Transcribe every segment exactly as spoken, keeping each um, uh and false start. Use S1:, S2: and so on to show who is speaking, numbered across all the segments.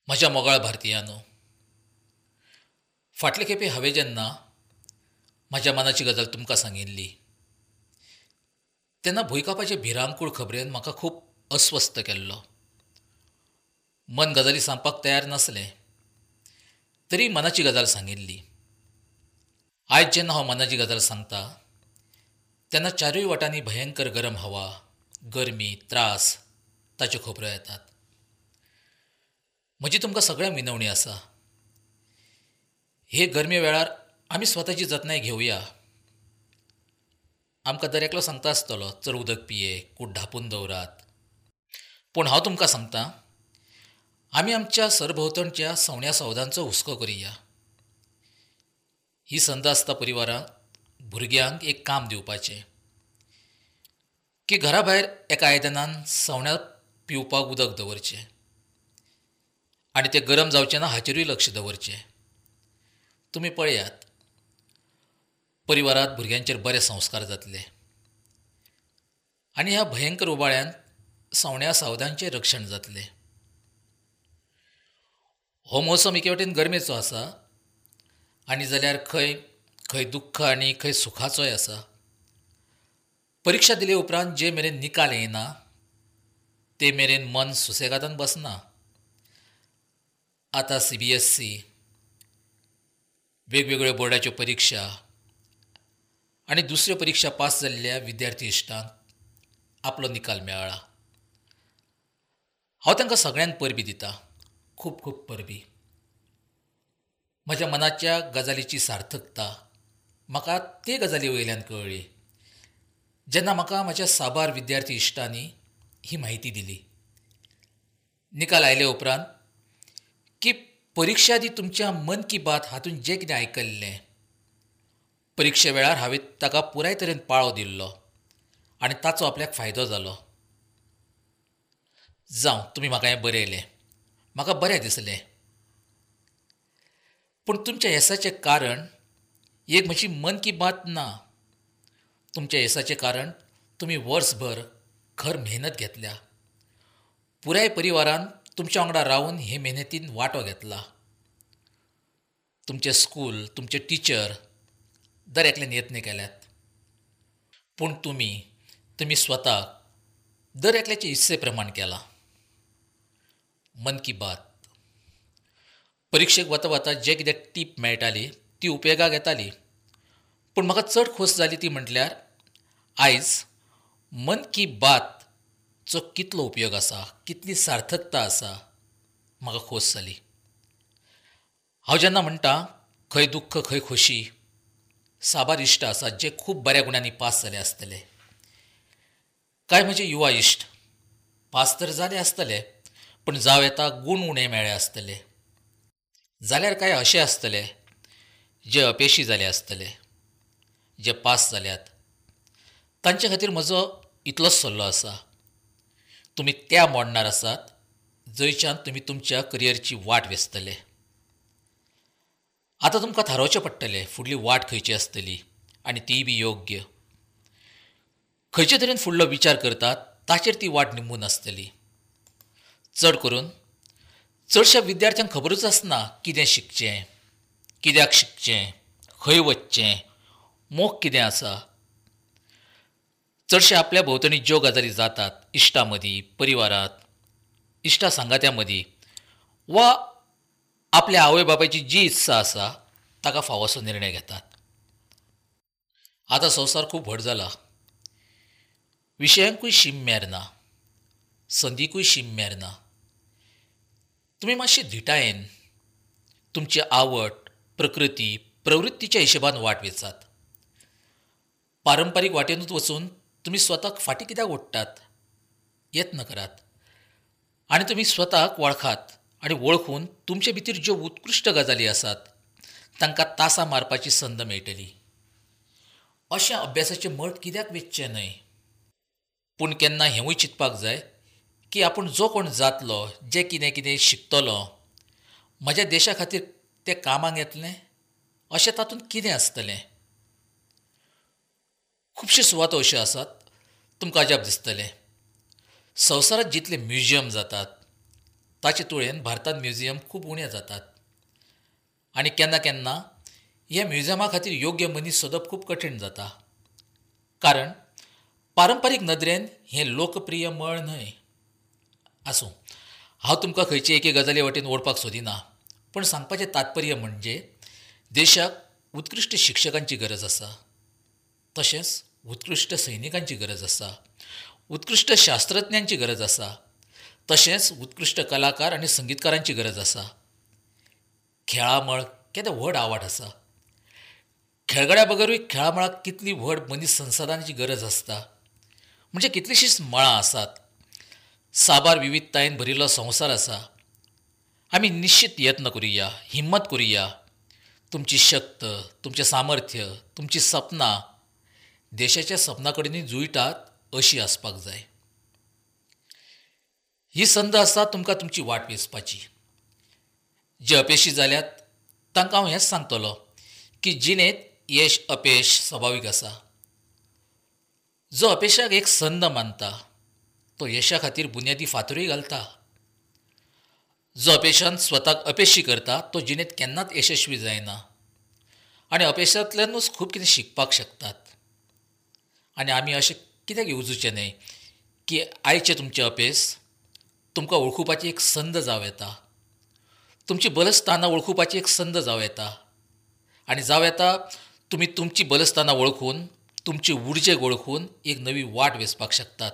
S1: म्हज्या मोगाळ भारतीयांनो, फाटले खेपे हांवें जेन्ना म्हज्या मनाची गजाल तुमकां सांगिल्ली तेन्ना भुंयकांपाचे भिरांकूळ खबरेन म्हाका खूब अस्वस्थ केल्लो. मन गजाली सांगपाक तयार नासलें तरी मनाची गजाल सांगिल्ली. आयज जेन्ना हांव मनाची गजाल सांगता तेन्ना चारूय वाटांनी भयंकर गरम हवा, गरमी, त्रास ताच्यो खबरो येतात. म्हजी तुमकां सगळ्यांक विनवणी आसा, हे गरमे वेळार आमी स्वताची जतनाय घेवया. आमकां दर एकलो सांगता आसतलो, चड उदक पिये, कूड धांपून दवरात. पूण हांव तुमकां सांगता, आमी आमच्या सरभोंवतणच्या सवण्या सवदांचो हुस्को करुया. ही संद आसता परिवारांक, भुरग्यांक एक काम दिवपाचें की घरा भायर एका आयदनान सवण्या पिवपाक उदक दवरचें आनी तें गरम जावचें ना हाचेरूय लक्ष दवरचें. तुमी पळयात, परिवारांत भुरग्यांचेर बरे संस्कार जातले आनी ह्या भयंकर उबाळ्यांत सवण्या सावदांचें रक्षण जातलें. हो मोसम एके वटेन गरमेचो आसा आनी जाल्यार खंय खंय दुख्ख आनी खंय सुखाचोय आसा. परिक्षा दिले उपरांत जे मेरेन निकाल येना ते मेरेन मन सुसेगादान बसना. आतां सी बी एस सी, वेगवेगळ्यो बोर्डाच्यो परिक्षा आनी दुसऱ्यो परिक्षा पास जाल्ल्या विद्यार्थी इश्टांक आपलो निकाल मेळ्ळा. हांव तांकां सगळ्यांक परबीं दिता, खूब खूब परबीं. म्हज्या मनाच्या गजालीची सार्थकता म्हाका ते गजाली वयल्यान कळ्ळी जेन्ना म्हाका म्हज्या साबार विद्यार्थी इश्टांनी ही म्हायती दिली. निकाल आयले उपरांत की परिक्षा आदी तुमच्या मन की बात हातूंत जें कितें आयकल्लें परिक्षे वेळार हांवें ताका पुराय तरेन पाळो दिल्लो आनी ताचो आपल्याक फायदो जालो. जावं, तुमी म्हाका हें बरयलें, म्हाका बरें दिसलें. पूण तुमच्या येसाचें कारण एक म्हजी मन की बात ना. तुमच्या येसाचें कारण तुमी वर्सभर खर मेहनत घेतल्या, पुराय परिवारान तुमच्या वांगडा रावन हे मेहनतीन वांटो घेतला. तुमचें स्कूल, तुमचे टिचर दर एकल्यान यत्न केल्यात. पूण तुमी तुमी स्वताक दर एकल्याचे इत्से प्रमाण केलां. मन की बात परिक्षेक वता वता जे कितें टीप मेळटाली ती उपयोगाक येताली. पूण म्हाका चड खोस जाली ती म्हटल्यार आयज मन की बातचो कितलो उपयोग आसा, कितली सार्थकता आसा, म्हाका खोस जाली. हांव जेन्ना म्हणटा खंय दुख्ख खंय खोशी, साबार इश्ट आसात जे खूब बऱ्या गुणांनी पास जाले आसतले. कांय म्हजे युवा इश्ट पास तर जाले आसतले पूण जावं येता गूण उणे मेळ्ळे आसतले. जाल्यार कांय अशे आसतले जे अपेशी जाले आसतले. जे पास जाल्यात तांचे खातीर म्हजो इतलोच सल्लो आसा, तुमी त्या मोडणार आसात जंयच्यान तुमी तुमच्या करियरची वाट वेंचतले. आतां तुमकां थारावचें पडटलें फुडली वाट खंयची आसतली आनी तीय बी योग्य. खंयचे तरेन फुडलो विचार करतात ताचेर ती वाट निंबून आसतली. चड करून चडश्या विद्यार्थ्यांक खबरूच आसना कितें शिकचें, कित्याक शिकचें, खंय वचचें, मोग कितें आसा. चडशे आपल्या भोंवतणी ज्यो गजाली जातात इश्टां मदीं, परिवारांत, इश्टा सांगात्यां मदीं वा आपल्या आवय बापायची जी इत्सा आसा ताका फावोसो निर्णय घेतात. आतां संवसार खूब व्हड जाला, विशयांकूय शीम मेर ना, संदीकूय शीम मेर ना. तुमी मातशी धिटायेन तुमची आवड, प्रकृती, प्रवृत्तीच्या हिशोबान वाट वेंचात. पारंपारीक वाटेनूच वचून तुमी स्वताक फाटीं कित्याक ओडटात? यत्न करात आनी तुमी स्वताक वळखात आनी वळखून तुमचे भितर ज्यो उत्कृश्ट गजाली आसात तांकां तासां मारपाची संद मेळटली. अशें अभ्यासाचें मळ कित्याक वेंचचें न्हय? पूण केन्ना हेंवूय चिंतपाक जाय की आपूण जो कोण जातलो, जें कितें कितें शिकतलो, म्हज्या देशा खातीर तें कामाक येतलें अशें तातूंत कितें आसतलें? खुबश्यो सुवातो अश्यो आसात तुमकां अजाप दिसतलें. संवसारांत जितले म्युझियम जातात ताचे तुळेन भारतांत म्युझियम खूब उणें जातात आनी केन्ना केन्ना ह्या म्युझियमा खातीर योग्य मनीस सोदप खूब कठीण जाता, कारण पारंपारीक नदरेन हें लोकप्रिय मळ न्हय. आसूं, हांव तुमकां खंयचे एके गजाली वटेन ओडपाक सोदिना, पूण सांगपाचें तात्पर्य म्हणजे देशाक उत्कृश्ट शिक्षकांची गरज आसा, तशेंच उत्कृश्ट सैनिकांची गरज आसा, उत्कृश्ट शास्त्रज्ञांची गरज आसा, तशेंच उत्कृश्ट कलाकार आनी संगीतकारांची गरज आसा. खेळामळ केदें व्हड आवाठ आसा. खेळगड्या बगरूय खेळामळाक कितली व्हड मनीस संसाधनाची गरज आसता. म्हणजे कितलींशींच मळां आसात, साबार विविधतायेन भरिल्लो संवसार आसा. आमी निश्चित यत्न करुया, हिम्मत करुया. तुमची शक्त, तुमचें सामर्थ्य, तुमचीं सपनां देशाच्या सपना कडेन जुळटात अशी आसपाक जाय. ही संद आसा तुमकां तुमची वाट वेंचपाची. जे अपेशी जाल्यात तांकां हांव हेंच सांगतलो की जिणेंत यश अपेश सभावीक आसा. जो अपेशाक एक संद मानता तो यशा खातीर बुन्यादी फातरूय घालता. जो अपेशान स्वताक अपेशी करता तो जिणेंत केन्नाच यशस्वी जायना आनी अपेशांतल्यानूच खूब कितें शिकपाक शकतात. आनी आमी अशें कित्याक येवजुचें न्हय की आयचें तुमचें अपेस तुमकां वळखुपाची एक संद जावं येता, तुमची बलस्थानां वळखुपाची एक संद जावं येता आनी जावं येता तुमी तुमची बलस्थानां वळखून, तुमची उर्जेक वळखून एक नवी वाट वेंचपाक शकतात.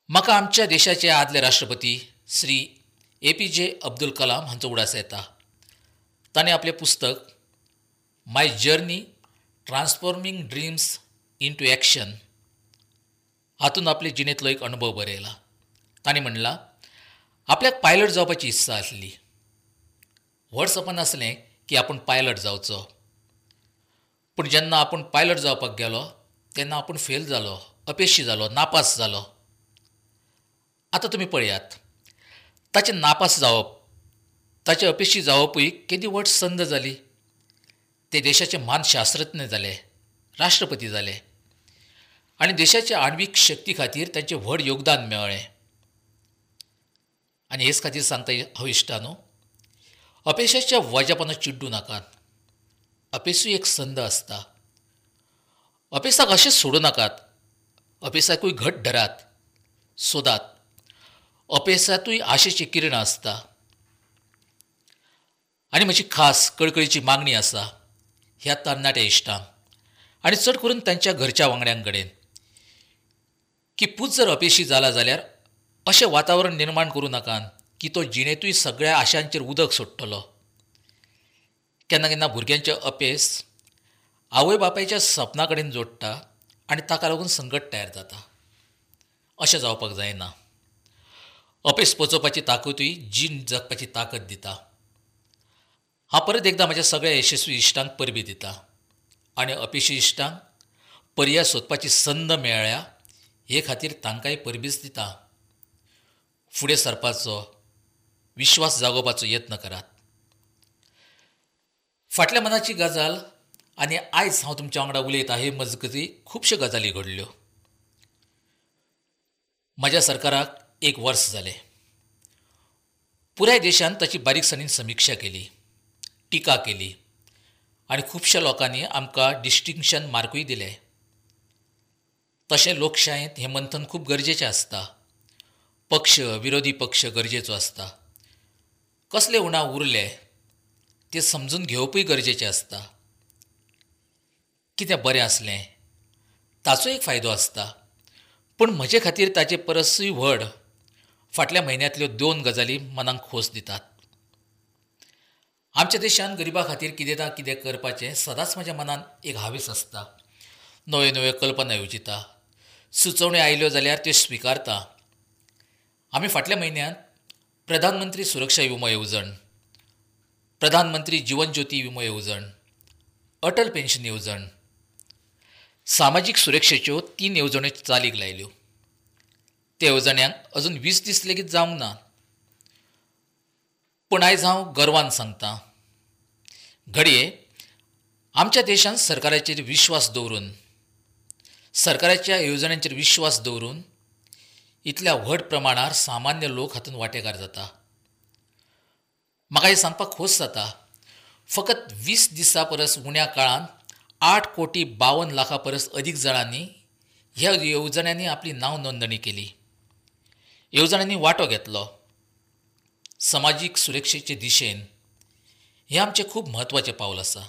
S1: म्हाका आमच्या देशाचे आदले राष्ट्रपती Shri A P J Abdul Kalam हांचो उडास येता. ताणें आपलें पुस्तक my journey transforming dreams into action हातूंत आपले जिणेंतलो एक अणभव बरयला. ताणें म्हणलां, आपल्याक पायलट जावपाची इत्सा आसली. व्हड सपन आसलें की आपूण पायलट जावचो. पूण जेन्ना आपूण पायलट जावपाक गेलो तेन्ना आपूण फेल जालो, अपेशी जालो, नापास जालो. आतां तुमी पळयात, ताचें नापास जावप, ताचें अपेशी जावपूय केदी व्हड संद जाली. ते देशाचे म्हान शास्त्रज्ञ जाले, राष्ट्रपती जाले आनी देशाच्या आण्वीक शक्ती खातीर तांचें व्हड योगदान मेळ्ळें. आनी हेच खातीर सांगता हांव इश्टानो, अपेशाच्या वज्यापणां चिड्डू नाकात. अपेसूय एक संद आसता. अपेसाक अशेंच सोडूं नाकात, अपेसाकूय घट धरात, सोदात. अपेसांतूय आशेची किरणां आसता. आनी म्हजी खास कळकळीची मागणी आसा ह्या तरणाट्या इश्टांक आनी चड करून तांच्या घरच्या वांगड्यां कडेन की पूत जर अपेशी जाला जाल्यार अशें वातावरण निर्माण करूं नाकात की तो जिणेंतूय सगळ्या आशांचेर उदक सोडटलो. केन्ना केन्ना भुरग्यांचें अपेस आवय बापायच्या सपना कडेन जोडटा आनी ताका लागून संकट तयार जाता. अशें जावपाक जायना. अपेस पचोवपाची ताकदूय जीण जगपाची ताकद दिता. हांव परत एकदां म्हज्या सगळ्या यशस्वी इश्टांक परबीं दिता आनी अपेशी इश्टांक पर्याय सोदपाची संद मेळ्ळ्या हे खातीर तांकांय परबीच दिता. फुडें सरपाचो, विश्वास जागोवपाचो यत्न करात. फाटल्या मनाची गजाल आनी आयज हांव तुमच्या वांगडा उलयता हे मजगती खुबश्यो गजाली घडल्यो. म्हज्या सरकाराक एक वर्स जालें. पुराय देशान ताची बारीकसाणीन समिक्षा केली, टिका केली आनी खुबश्या लोकांनी आमकां डिस्टिंक्शन मार्कूय दिले. तशें लोकशायेंत हें मंथन खूब गरजेचें आसता. पक्ष, विरोधी पक्ष गरजेचो आसता. कसले उणाव उरले ते समजून घेवपूय गरजेचें आसता. कितें बरें आसलें ताचो एक फायदो आसता, पूण म्हजे खातीर ताचे परसूय व्हड फाटल्या म्हयन्यांतल्यो दोन गजाली मनाक खोस दितात. आमच्या देशान गरिबा खातीर कितें ना कितें करपाचें सदांच म्हज्या मनान एक हावेस आसता. नव्यो नव्यो कल्पना येवजिता, सुचोवण्यो आयल्यो जाल्यार त्यो स्विकारता. आमी फाटल्या म्हयन्यांत प्रधानमंत्री सुरक्षा विमो येवजण, प्रधानमंत्री जिवन ज्योती विमो येवजण, अटल पेन्शन येवजण, सामाजीक सुरक्षेच्यो तीन येवजण्यो चालीक लायल्यो. त्या येवजण्यांक अजून वीस दीस लेगीत जावंक ना, पूण आयज हांव गर्वान सांगता, घडये आमच्या देशांत सरकाराचेर विश्वास दवरून, सरकाराच्या येवजण्यांचेर विश्वास दवरून इतल्या व्हड प्रमाणार सामान्य लोक हातूंत वांटेकार जाता. म्हाका हें सांगपाक खोस जाता, फकत वीस दिसां परस उण्या काळांत आठ कोटी बावन लाखां परस अदीक जाणांनी ह्या येवजण्यांनी आपली नांव नोंदणी केली, येवजण्यांनी वांटो घेतलो. समाजीक सुरक्षेचे दिशेन हें आमचें खूब म्हत्वाचें पावल आसा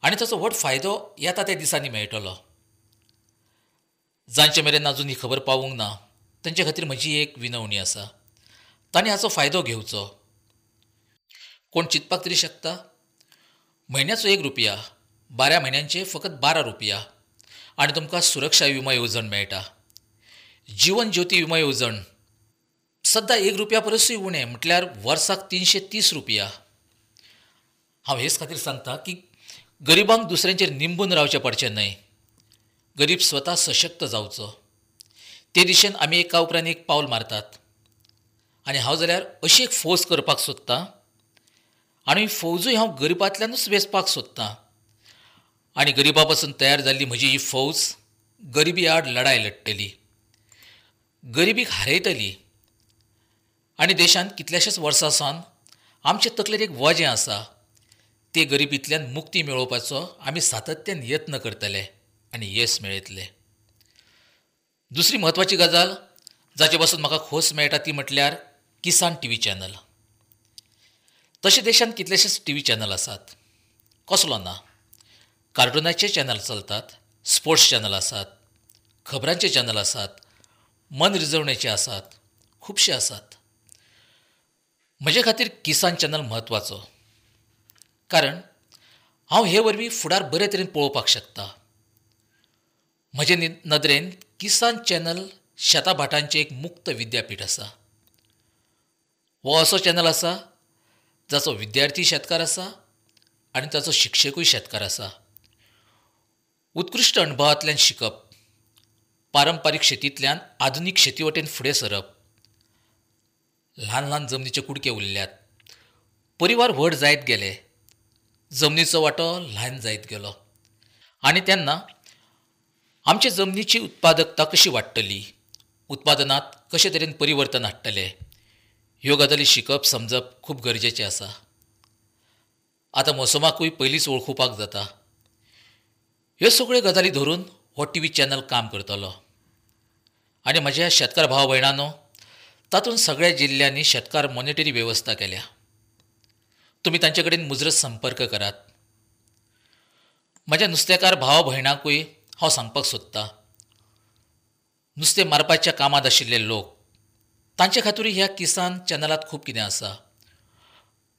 S1: आनी ताचो व्हड फायदो येता त्या दिसांनी मेळटलो. जांचे मेरेन अजून ही खबर पावूंक ना तांचे खातीर म्हजी एक विनवणी आसा, तांणी हाचो फायदो घेवचो. कोण चिंतपाक तरी शकता, म्हयन्याचो एक रुपया, बारा म्हयन्यांचे फकत बारा रुपया आनी तुमकां सुरक्षा विमो येवजण मेळटा. जीवन ज्योती विमो येवजण सद्दां एक रुपया परसूय उणें, म्हटल्यार वर्साक तिनशे तीस रुपया. हांव हेच खातीर सांगता की गरिबांक दुसऱ्यांचेर निंबून रावचें पडचें न्हय, गरीब स्वता सशक्त जावचो. ते दिशेन आमी एका उपरांत एक पावल मारतात आनी हांव जाल्यार अशी एक फौज करपाक सोदतां आनी फौजूय हांव गरिबांतल्यानूच वेंचपाक सोदतां आनी गरिबा पासून तयार जाल्ली म्हजी ही फौज गरिबी आड लढाय लडटली, गरिबीक हारयतली. आनी देशांत कितल्याशाच वर्सां सावन आमचे तकलेर एक वजें आसा, ते गरिबींतल्यान मुक्ती मेळोवपाचो आमी सातत्यान यत्न करतले आनी येस मेळयतले. दुसरी म्हत्वाची गजाल जाचे पासून म्हाका खोस मेळटा ती म्हटल्यार किसान टी व्ही चॅनल. तशें देशांत कितलेशेच टी व्ही चॅनल आसात, कसलो ना, कार्टुनाचे चॅनल चलतात, स्पोर्ट्स चॅनल आसात, खबरांचे चॅनल आसात, मन रिजवणेचे आसात, खुबशे आसात. म्हजे खातीर किसान चॅनल म्हत्वाचो, कारण हांव हे वरवीं फुडार बरे तरेन पळोवपाक शकता. म्हजे नदरेन किसान चॅनल शेता भाटांचें एक मुक्त विद्यापीठ आसा. हो असो चॅनल आसा जाचो विद्यार्थी शेतकार आसा आनी ताचो शिक्षकूय शेतकार आसा. उत्कृश्ट अणभवांतल्यान शिकप, पारंपारीक शेतींतल्यान आधुनीक शेती वटेन फुडें सरप. ल्हान ल्हान जमनीचे कुडके उरल्यात, परिवार व्हड जायत गेले, जमनीचो वांटो ल्हान जायत गेलो आनी तेन्ना आमचे जमनीची उत्पादकता कशी वाडटली, उत्पादनांत कशे तरेन परिवर्तन हाडटले, ह्यो गजाली शिकप समजप खूब गरजेचें आसा. आतां मोसमाकूय पयलींच वळखुपाक जाता. ह्यो सगळ्यो गजाली धरून हो टी व्ही चॅनल काम करतलो. आनी म्हज्या शेतकार भाव भयणांनो, तातूंत सगळ्या जिल्ल्यांनी शेतकार मॉनिटरी वेवस्था केल्या. तुमी तांचे कडेन मुजरत संपर्क करात. म्हज्या नुस्तेकार भाव भयणांकूय हांव सांगपाक सोदतां, नुस्तें मारपाच्या कामांत आशिल्ले लोक तांचे खातीरूय ह्या किसान चॅनलांत खूब कितें आसा.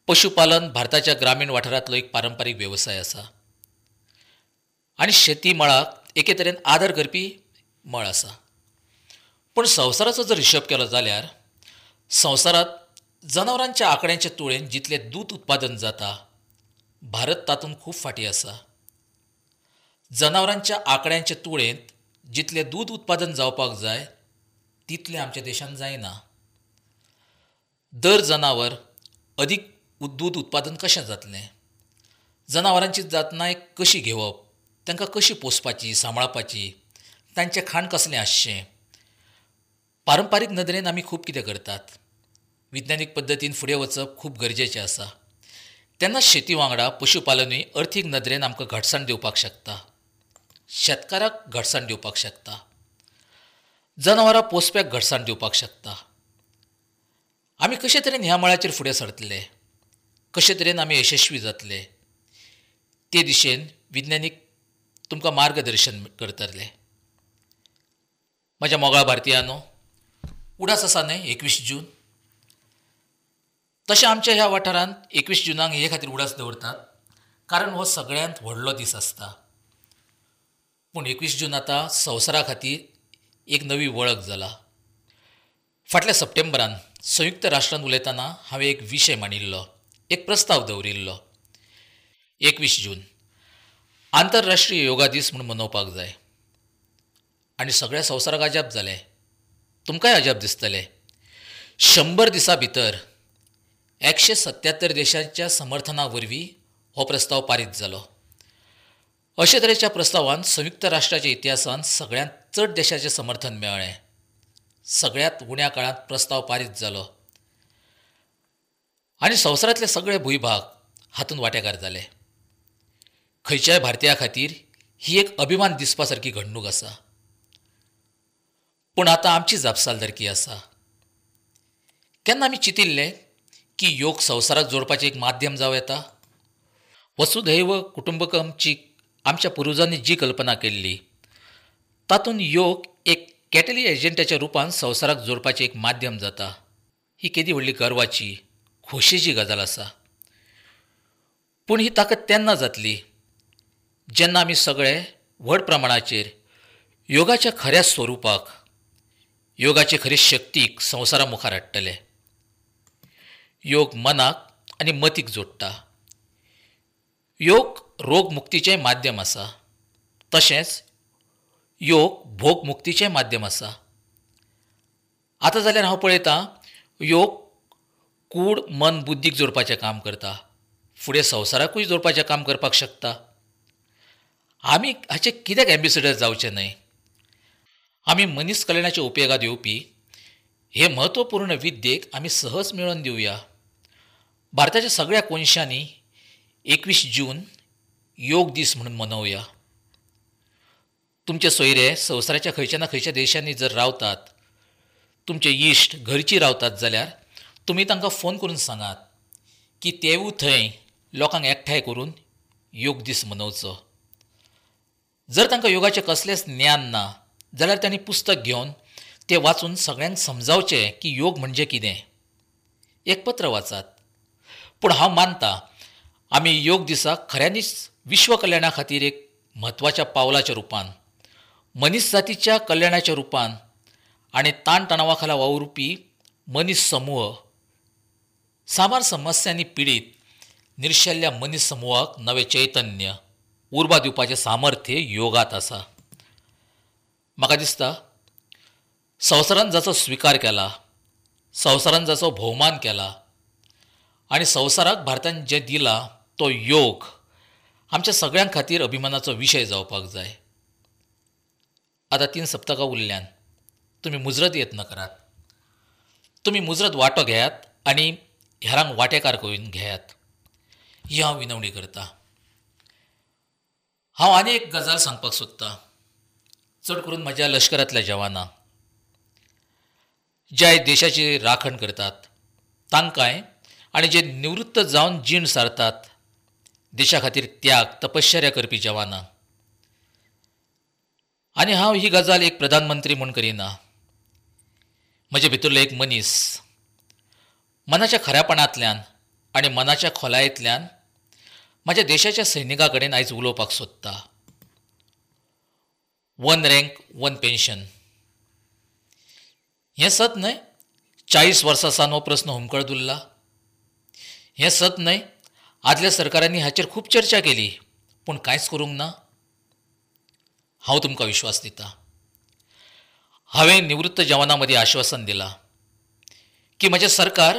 S1: पशुपालन भारताच्या ग्रामीण वाठारांतलो एक पारंपारीक वेवसाय आसा आनी शेती मळाक एके तरेन आदर करपी मळ आसा. पूण संवसाराचो जर हिशोब केलो जाल्यार संवसारांत जनावरांच्या आंकड्यांचे तुळेन जितलें दूद उत्पादन जाता, भारत तातूंत खूब फाटीं आसा. जनावरांच्या आंकड्यांचे तुळेंत जितलें दूद उत्पादन जावपाक जाय तितलें आमच्या देशांत जायना. दर जनावर अदीक दूद उत्पादन कशें जातलें, जनावरांची जतनाय कशी घेवप, तांकां कशी पोसपाची, सांबाळपाची, तांचें खाण कसलें आसचें. पारंपारीक नदरेन आमी खूब कितें करतात, विज्ञानीक पद्दतीन फुडें वचप खूब गरजेचें आसा. तेन्ना शेती वांगडा पशुपालनूय अर्थीक नदरेन आमकां घटसाण दिवपाक शकता, शेतकाराक घटसाण दिवपाक शकता, जनावरां पोसप्याक घटसाण दिवपाक शकता. आमी कशे तरेन ह्या मळाचेर फुडें सरतले, कशे तरेन आमी यशस्वी जातले, ते दिशेन विज्ञानीक तुमकां मार्गदर्शन करतले. म्हज्या मोगाळ भारतीयांनो, उडास आसा न्हय एकवीस जून. तशें आमच्या ह्या वाठारांत एकवीस जुनाक हे खातीर उडास दवरतात कारण हो सगळ्यांत व्हडलो दीस आसता. पूण एकवीस जून आतां संवसारा खातीर एक नवी वळख जाला. फाटल्या सप्टेंबरान संयुक्त राष्ट्रांत उलयतना हांवें एक विशय मांडिल्लो, एक प्रस्ताव दवरिल्लो. एकवीस जून आंतरराष्ट्रीय योगा दीस म्हूण मनोवपाक जाय. आनी सगळ्या संवसाराक अजाप जालें, तुमकांय अजाप दिसतलें. शंबर दिसां भितर एकशे सत्यात्तर देशांच्या समर्थना वरवीं हो प्रस्ताव पारीत जालो. अशे तरेच्या प्रस्तावान संयुक्त राष्ट्राच्या इतिहासांत सगळ्यांत चड देशाचें समर्थन मेळ्ळें. सगळ्यांत उण्या काळांत प्रस्ताव पारीत जालो आनी संवसारांतले सगळे भूंयभाग हातूंत वांटेकार जाले. खंयच्याय भारतीया खातीर ही एक अभिमान दिसपा सारकी घडणूक आसा. पूण आतां आमची जापसालदारकी आसा. केन्ना आमी चिंतिल्लें की योग संवसाराक जोडपाचें एक माध्यम जावं येता? वसुधैव कुटुंबकमची आमच्या पुर्वजांनी जी कल्पना केल्ली तातूंत योग एक कॅटली एजंटाच्या रुपान संवसाराक जोडपाचें एक माध्यम जाता. ही केदी व्हडली गर्वाची, खोशयेची गजाल आसा. पूण ही ताकद तेन्ना जातली जेन्ना आमी सगळे व्हड प्रमाणाचेर योगाच्या खऱ्या स्वरुपाक, योगाचे खरी शक्तीक संवसारा मुखार हाडटले. योग मनाक आनी मतीक जोडटा. योग रोगमुक्तीचें माध्यम आसा, तशेंच योग भोगमुक्तीचें माध्यम आसा. आतां जाल्यार हांव पळयतां योग कूड, मन, बुद्दीक जोडपाचें काम करता, फुडें संवसाराकूय जोडपाचें काम करपाक शकता. आमी हाचे कित्याक एम्बेसिडर जावचें न्हय? आमी मनीस कल्याणाच्या उपयोगांत येवपी हे म्हत्वपूर्ण विद्येक आमी सहज मेळोवन दिवया. भारताच्या सगळ्या कोनशांनी एकवीस जून योग दीस म्हणून मनोवया. तुमचे सोयरे संवसाराच्या खंयच्या ना खंयच्या देशांनी जर रावतात, तुमचे इश्ट घरचीं रावतात जाल्यार तुमी तांकां फोन करून सांगात की तेवूय थंय लोकांक एकठांय करून योग दीस मनोवचो. जर तांकां योगाचें कसलेंच ज्ञान ना जाल्यार तांणी पुस्तक घेवन तें वाचून सगळ्यांक समजावचें की योग म्हणजे कितें. एक पत्र वाचात. पूण हांव मानता आमी योग दिसाक खऱ्यांनीच विश्व कल्याणा खातीर एक म्हत्वाच्या पावलाच्या रुपान, मनीस जातीच्या कल्याणाच्या रुपान आनी ताणतणावा खाला वावुरपी मनीस समूह, साबार समस्यांनी पिडीत निर्शेल्ल्या मनीस समुहाक नवें चैतन्य, उर्बा दिवपाचें सामर्थ्य योगांत आसा. म्हाका दिसता संवसारान जाचो स्विकार केला, संवसारान जाचो भोवमान केला आनी संवसाराक भारतान जें दिलां तो योग आमच्या सगळ्यां खातीर अभिमानाचो विशय जावपाक जाय. आतां तीन सप्तकां उरल्यान. तुमी मुजरत यत्न करात, तुमी मुजरत वांटो घेयात आनी हेरांक वांटेकार करून घेयात, ही हांव विनवणी करता. हांव आनी एक गजाल सांगपाक सोदतां, चड करून म्हज्या लश्करांतल्या जवानांक, जे देशाची राखण करतात तांकांय आनी जे निवृत्त जावन जीण सारतात देशा खातीर त्याग, तपश्चर्या करपी जवानांक. आनी हांव ही गजाल एक प्रधानमंत्री म्हूण करिना. म्हजे भितरलो एक मनीस मनाच्या खऱ्यापणांतल्यान आनी मनाच्या खोलायेंतल्यान म्हज्या देशाच्या सैनिकां कडेन आयज उलोवपाक सोदता. वन रँक वन पेन्शन हें सत न्हय? चाळीस वर्सां सावन हो प्रस्न हुमकळत उरला. हें सत न्हय? आदल्या सरकारांनी हाचेर खूब चर्चा केली पूण कांयच करूंक ना. हांव तुमकां विश्वास दिता, हांवें निवृत्त जवानां मदीं आश्वासन दिलां की म्हजें सरकार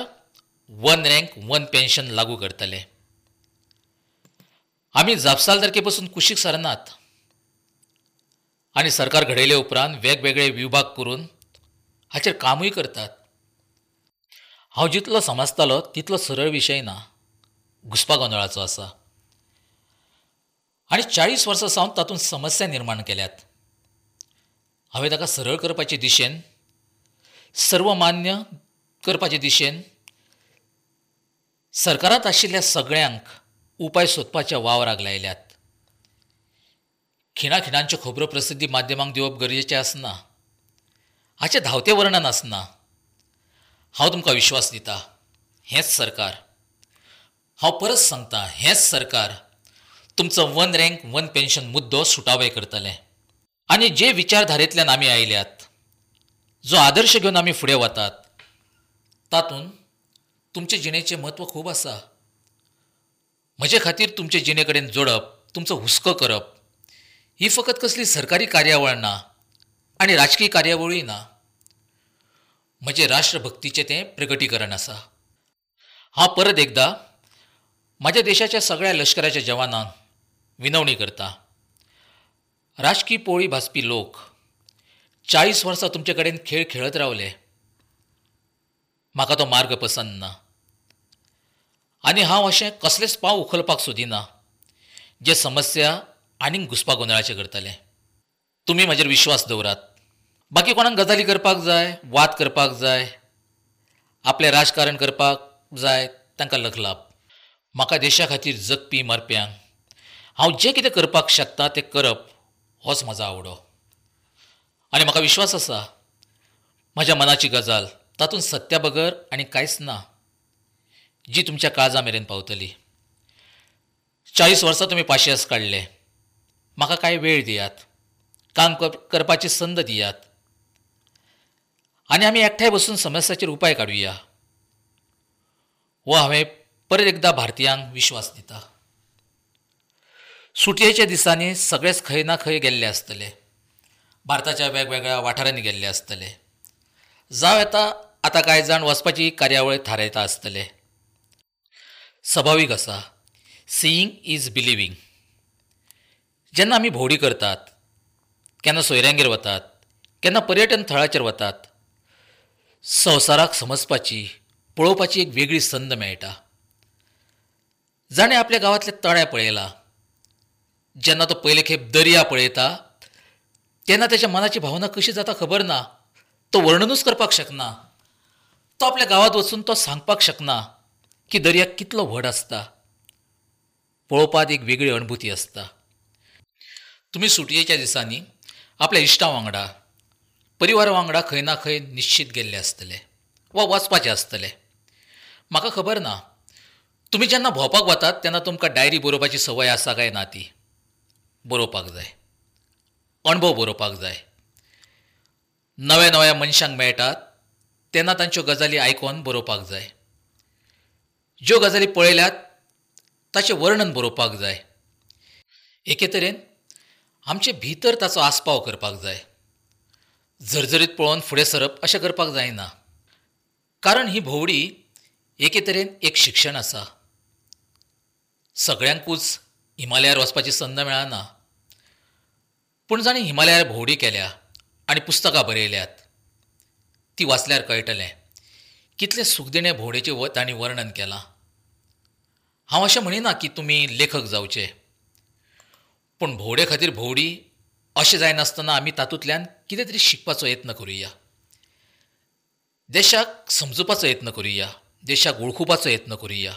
S1: वन रँक वन पेन्शन लागू करतलें. आमी जापसालदारके पसून कुशीक सरनात आनी सरकार घडयले उपरांत वेगवेगळे विभाग करून हाचेर कामूय करतात. हांव जितलो समजतालो तितलो सरळ विशय ना, घुस्पागोंदळाचो आसा आनी चाळीस वर्सां सावन तातूंत समस्या निर्माण केल्यात. हांवें ताका सरळ करपाचे दिशेन, सर्वमान्य करपाचे दिशेन सरकारांत आशिल्ल्या सगळ्यांक उपाय सोदपाच्या वावराक लायल्यात. खिणाखिणांच्यो खबरो प्रसिद्धी माध्यमांक दिवप गरजेचें आसना, हाचें धांवतें वर्णन आसना. हांव तुमकां विश्वास दिता, हेंच सरकार, हांव परत सांगता, हेंच सरकार तुमचो वन रँक वन पेन्शन मुद्दो सुटावे करतलें. आनी जे विचारधारेंतल्यान आमी आयल्यात, जो आदर्श घेवन आमी फुडें वतात, तातूंत तुमचे जिणेचें म्हत्व खूब आसा. म्हजे खातीर तुमचे जिणे कडेन जोडप, तुमचो हुस्को करप ही फकत कसली सरकारी कार्यावळ ना आनी राजकीय कार्यावळूय ना. म्हजें राष्ट्रभक्तीचें तें प्रगटीकरण आसा. हांव परत एकदां म्हज्या देशाच्या सगळ्या लश्कराच्या जवानांक विनवणी करता, राजकी पोळी भाजपी लोक, चाळीस वर्सां तुमचे कडेन खेळ खेळत रावले. म्हाका तो मार्ग पसंत ना आनी हांव अशें कसलेंच पाव उखलपाक सोदिना जे समस्या आनीक घुसपा गोंदळाचें करतलें. तुमी म्हजेर विश्वास दवरात. बाकी कोणाक गजाली करपाक जाय, वाद करपाक जाय, आपलें राजकारण करपाक जाय, तांकां लखलाभ. म्हाका देशा खातीर जगपी मरप्यांक हांव जें कितें करपाक शकता तें करप होच म्हजो आवडो. आनी म्हाका विश्वास आसा म्हज्या मनाची गजाल तातूंत सत्या बगर आनी कांयच ना जी तुमच्या काळजा मेरेन पावतली. चाळीस वर्सां तुमी पाशियेस काडले. म्हाका कांय वेळ दियात, काम करपाची संद दियात आनी आमी एकठांय बसून समस्याचेर उपाय काडुया. हो हांवें परत एकदां भारतीयांक विश्वास दिता. सुटयेच्या दिसांनी सगळेच खंय ना खंय गेल्ले आसतले, भारताच्या वेगवेगळ्या वाठारांनी गेल्ले आसतले. जावं येता आतां कांय जाण वचपाची कार्यावळ थारायता आसतले. सभावीक आसा, सीईंग is believing. जेन्ना आमी भोंवडी करतात, केन्ना सोयऱ्यांगेर वतात, केन्ना पर्यटन थळाचेर वतात, संवसाराक समजपाची, पळोवपाची एक वेगळी संद मेळटा. जाणें आपल्या गांवांतलें तळें पळयलां, जेन्ना तो पयले खेप दर्या पळयता तेन्ना ताच्या मनाची भावना कशी जाता खबर ना, तो वर्णनूच करपाक शकना. तो आपल्या गांवांत वचून तो सांगपाक शकना की दर्या कितलो व्हड आसता. पळोवपाक एक वेगळी अनुभूती आसता. तुमी सुटयेच्या दिसांनी आपल्या इश्टां वांगडा, परिवारा वांगडा खंय ना खंय निश्चीत गेल्ले आसतले वा वचपाचे आसतले. म्हाका खबर ना तुमी जेन्ना भोंवपाक वतात तेन्ना तुमकां डायरी बरोवपाची संवय आसा काय ना. ती बरोवपाक जाय, अणभव बरोवपाक जाय. नव्या नव्या मनशांक मेळटात तेन्ना तांच्यो गजाली आयकून बरोवपाक जाय. ज्यो गजाली पळयल्यात ताचें वर्णन बरोवपाक जाय. एके तरेन आमचे भितर ताचो आस्पाव करपाक जाय. झरझरीत पळोवन फुडें सरप अशें करपाक जायना, कारण ही भोंवडी एके तरेन एक शिक्षण आसा. सगळ्यांकूच हिमालयार वचपाची संद मेळना, पूण जाणें हिमालयार भोंवडी केल्या आनी पुस्तकां बरयल्यात ती वाचल्यार कळटलें कितलें सुखदिणें भोंवडेचें तांणी वर्णन केलां. हांव अशें म्हणिना की तुमी लेखक जावचे, पूण भोंवडे खातीर भोंवडी अशें जायनासतना आमी तातूंतल्यान कितें तरी शिकपाचो यत्न करुया, देशाक समजुपाचो यत्न करुया, देशाक वळखुपाचो यत्न करुया,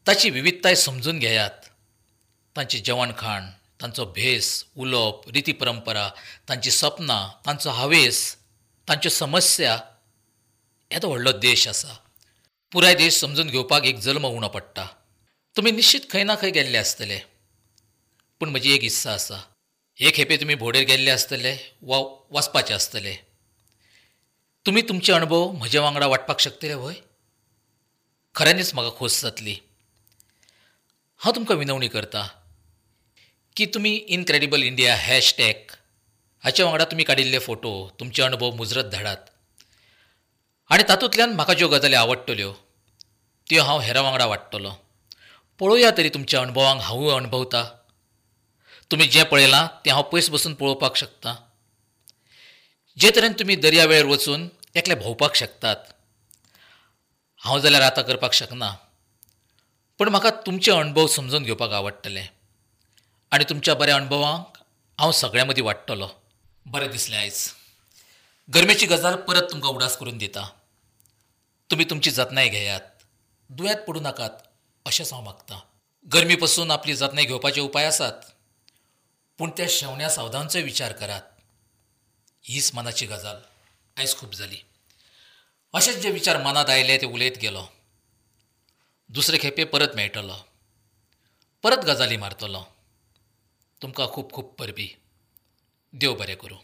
S1: ताची विविधताय समजून घेयात. तांचें जेवण खाण, तांचो भेस, उलोवप, रिती परंपरा, तांची सपनां, तांचो हावेस, तांच्यो समस्या. येदो व्हडलो देश आसा, पुराय देश समजून घेवपाक एक जल्म उणो पडटा. तुमी निश्चित खंय ना खंय गेल्ले आसतले, पूण म्हजी एक इत्सा आसा, हे खेपे तुमी भोंवडेर गेल्ले आसतले वा वचपाचे आसतले, तुमी तुमचे अणभव म्हजे वांगडा वांटपाक शकतले व्हय? खऱ्यांनीच म्हाका खोस जातली. हांव तुमकां विनवणी करता की तुमी इनक्रेडिबल इंडिया हॅशटॅग हाचे वांगडा तुमी काडिल्ले फोटो, तुमचे अणभव मुजरत धाडात आनी तातूंतल्यान म्हाका ज्यो गजाली आवडटल्यो त्यो हांव हेरां वांगडा वांट्टलो. पळोवया तरी तुमच्या अणभवांक हांवूय अणभवता. तुमी जें पळयलां तें हांव पयस बसून पळोवपाक शकता. जे तरेन तुमी दर्या वेळेर वचून एकले भोंवपाक शकतात, हांव जाल्यार आतां करपाक शकना, पूण म्हाका तुमचे अणभव समजून घेवपाक आवडटले आनी तुमच्या बऱ्या अणभवांक हांव सगळ्यां मदीं वांट्टलो. बरें दिसलें आयज गरमेची गजाल परत तुमकां उडास करून दिता. तुमी तुमची जतनाय घेयात, दुयेंत पडूं नाकात अशेंच हांव मागतां. गरमी पसून आपली जतनाय घेवपाचे उपाय आसात, पूण त्या शेवण्या सावदांचोय विचार करात. हीच मनाची गजाल आयज खूब जाली. अशेंच जे विचार मनांत आयले ते उलयत गेलो. दुसरे खेपे परत मेळटलो, परत गजाली मारतलो. तुमकां खूब खूब परबी. देव बरें करूं.